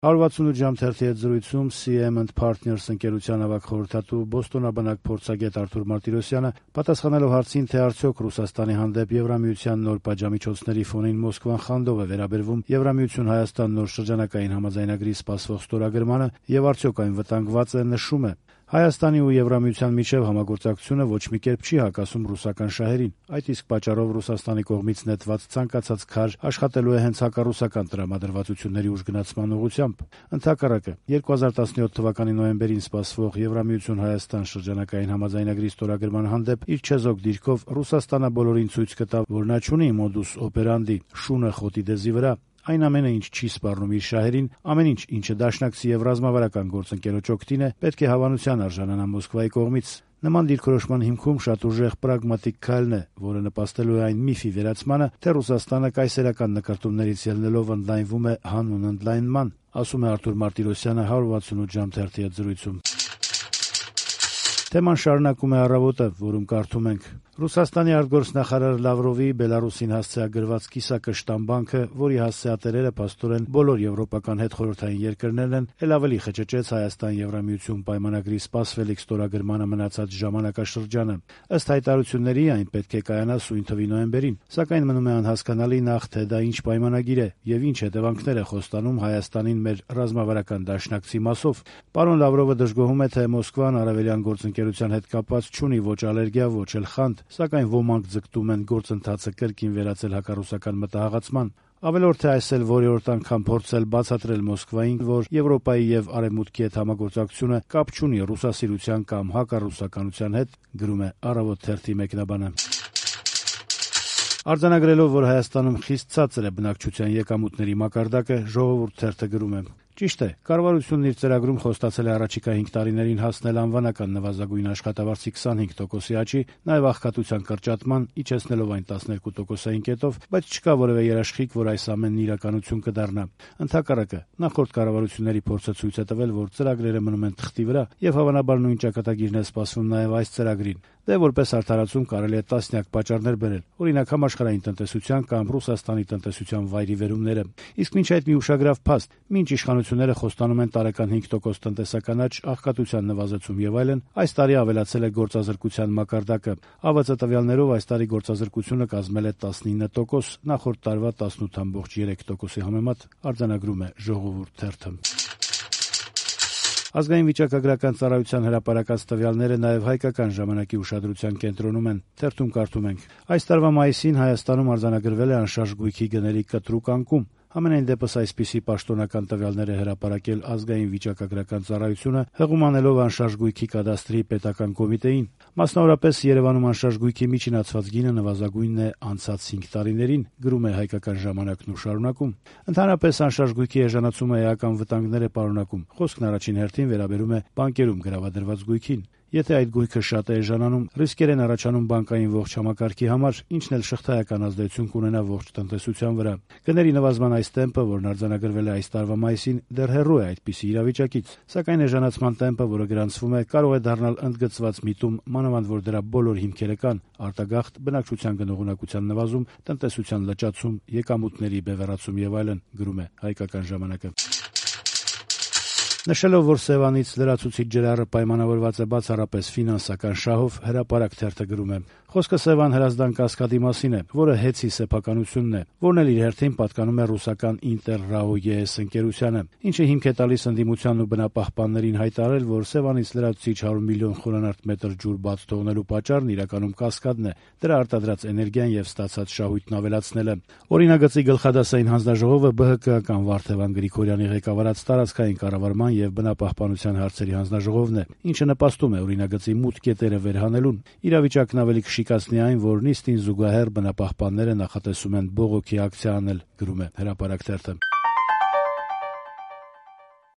168 ժամ թերթի հետ զրույցում CM & Partners ընկերության ավագ խորհրդատու բոստոնաբնակ փորձագետ Արթուր Մարտիրոսյանը պատասխանելով հարցին, թե արդյոք Ռուսաստանի հանդեպ Եվրամիության նոր պատժամիջոցների ֆոնին Մոսկվան խանդով է վերաբերվում Եվրամիություն-Հայաստան նոր շրջանակային համաձայնագրի սպասվող ստորագրմանը եւ արդյոք այն վտանգված է, նշում է. Հայաստանի ու Եվրամիության միջև համագործակցությունը ոչ մի կերպ չի հակասում ռուսական շահերին, այդ իսկ պատճառով Ռուսաստանի կողմից նետված ցանկացած քար աշխատելու է հենց հակառուսական տրամադրվածությունների ուժգնացման ուղղությամբ։ Ընդհակառակը 2017 թվականի նոյեմբերին սպասվող Եվրամիություն-Հայաստան շրջանակային համաձայնագրի ստորագրման հանդեպ իր չեզոք դիրքով Ռուսաստանը բոլորին ցույց կտա, որ նա չունի մոդուս օպերանդի, շունը խոտի դեզի վրա։ Այն ամենը, ինչ չի սպառնում իր շահերին, ամեն ինչ, ինչը դաշնակցի եւ ռազմավարական գործընկերոջ օգտին է, պետք է հավանության արժանանա Մոսկվայի կողմից։ Նման դիրքորոշման հիմքում շատ ուժեղ պրագմատիկ քայլն է, որը նպաստելու է այն միֆի վերացմանը, թե Ռուսաստանը կայսերական նկարտումներից ելնելով ընդլայնվում է հանուն ընդլայնման, ասում է Արթուր Մարտիրոսյանը 168 ժամ թերթի հետ զրույցում։ Թեման շարունակում է առավոտը, որում կարդում ենք. Ռուսաստանի արտգործնախարար Լավրովի Բելարուսին հասցեագրված կիսակշ տամբանքը, որի հասցեատերերը փաստորեն բոլոր եվրոպական հետխորհրդային երկրներն են, ել ավելի խճճեց Հայաստան-Եվրամիություն պայմանագրի սպասվելիք ստորագրմանը մնացած ժամանակաշրջանը։ Ըստ հայտարարությունների, այն պետք է կայանա սույն թվի նոյեմբերին, սակայն մնում է անհասկանալի նախ, թե դա ինչ պայմանագիր է եւ ինչ հետևանքներ է խոստանում Հայաստանին մեր ռազմավարական դաշնակցի մասով։ Պարոն Լավրովը դժգոհում է, թե Մոսկվան արևելյան գործընկերության հետ կապված չունի ոչ ալերգիա, ոչ էլ խանդ, սակայն ոմանք ձգտում են գործընթացը կրկին վերածել հակառուսական մտահղացման։ Ավելորդ է այս էլ որերորդ անգամ փորձել բացատրել Մոսկվային, որ Եվրոպայի եւ Արևմուտքի հետ համագործակցությունը կապ չունի ռուսասիրության կամ հակառուսականության հետ, գրում է Առավոտ թերթի մեկնաբանը։ Արձանագրելով, որ Հայաստանում խիստ ցածր է բնակչության եկամուտների մակարդակը, Ժողովուրդ թերթը գրում է. Ճիշտ է, կառավարությունն իր ծրագրում խոստացել է առաջիկա 5 տարիներին հասնել անվանական նվազագույն աշխատավարձի 25%-ի աճի, նաև աղքատության կրճատման, իջեցնելով այն 12%-ային կետով, բայց չկա որևէ երաշխիք, որ այս ամենն իրականություն կդառնա։ Ընդհակառակը, նախորդ կառավարությունների փորձը ցույց է տվել, որ ծրագրերը մնում են թղթի վրա, եւ հավանաբար նույն ճակատագիրն է սպասվում նաև այս ծրագրին։ Դե որպես արդարացում կարելի է տասնյակ պատճառներ բերել, օրինակ համաշխարհային տնտեսության կամ Ռուսաստանի տնտեսության վայրիվերումները։ Իսկ մինչ այդ մի ուշագրավ փաստ, մինչ իշխանությունները խոստանում են տարեկան 5% տնտեսական աճ, աղքատության նվազեցում եւ այլն, այս տարի ավելացել է գործազրկության մակարդակը։ ԱՎԾ տվյալներով այս տարի գործազրկությունը կազմել է 19%, նախորդ տարվա 18.3%-ի համեմատ, արձանագրում է Ժողովուրդ թերթը։ Ազգային վիճակագրական ծառայության հրապարակած տվյալները նաև հայկական ժամանակի ուշադրության կենտրոնում են։ Թերթում կարդում ենք. այս տարվա մայիսին Հայաստանում արձանագրվել է անշարժ գույքի գների կտրուկ անկում։ Համենայն դեպս այսպիսի պաշտոնական տվյալներ է հրապարակել ազգային վիճակագրական ծառայությունը, հղումանելով անշարժ գույքի կադաստրի պետական կոմիտեին։ Մասնավորապես Երևանում անշարժ գույքի միջինացված գինը նվազագույնն է անցած 5 տարիներին, գրում է Հայկական ժամանակն ու շարունակում։ Ընդհանրապես անշարժ գույքի էժանացումը էական վտանգներ է պարունակում։ Խոսքն առաջին հերթին վերաբերում է բանկերում գրավադրված գույքին։ Եթե այդ գույքը շատ է էժանանում, ռիսկեր են առաջանում բանկային ողջ համակարգի համար, ինչն էլ շղթայական ազդեցություն կունենա ողջ տնտեսության վրա։ Գների նվազման այս տեմպը, որն արձանագրվել է այս տարվա մայիսին, դեռ հեռու է այդպիսի իրավիճակից, սակայն էժանացման տեմպը, որը գրանցվում է, կարող է դառնալ ընդգծված միտում, մանավանդ որ դրա բոլոր հիմքերը կան՝ արտագաղթ, բնակչության գնողունակության նվազում, տնտեսության լճացում, եկամուտների բևեռացում եւ այլն, գրում է Հայկական ժամանակը։ Նշելով, որ Սևանից լրացուցիչ ջրառը պայմանավորված է բացառապես ֆինանսական շահով, հրապարակ թերթը գրում է. Խոսքը Սևան Հրազդան կասկադի մասին է, որը հեծի սեփականությունն է, որն էլ իր հերթին պատկանում է ռուսական Ինտեր-ՌԱՕ-ԵՍ ընկերությանը, ինչը հիմք է տալիս ընդդիմությանն ու բնապահպաններին հայտարարել, որ Սևանից լրացուցիչ 100 միլիոն խորանարդ մետր ջուր բաց թողնելու պատճառն իրականում կասկադն է, դրա արտադրած էներգիան եւ ստացած շահույթն ավելացնելը։ Օրինագծի գլխադասային հանձնաժողովը ԲՀԿ-ական Վարդևան Գրիգորյանի ղեկավարած տարածքային կառավարման եւ բնապահպանության հարցերի հանձնաժողովն է, ինչը նպաստում է օրինագծի մութ կետերը վերհանելուն։ Իրավիճակն ավելի կշիկացնի այն, որ նիստին զուգահեռ բնապահպանները նախատեսում են բողոքի ակցիա անել, գրում է Հրապարակ թերթը։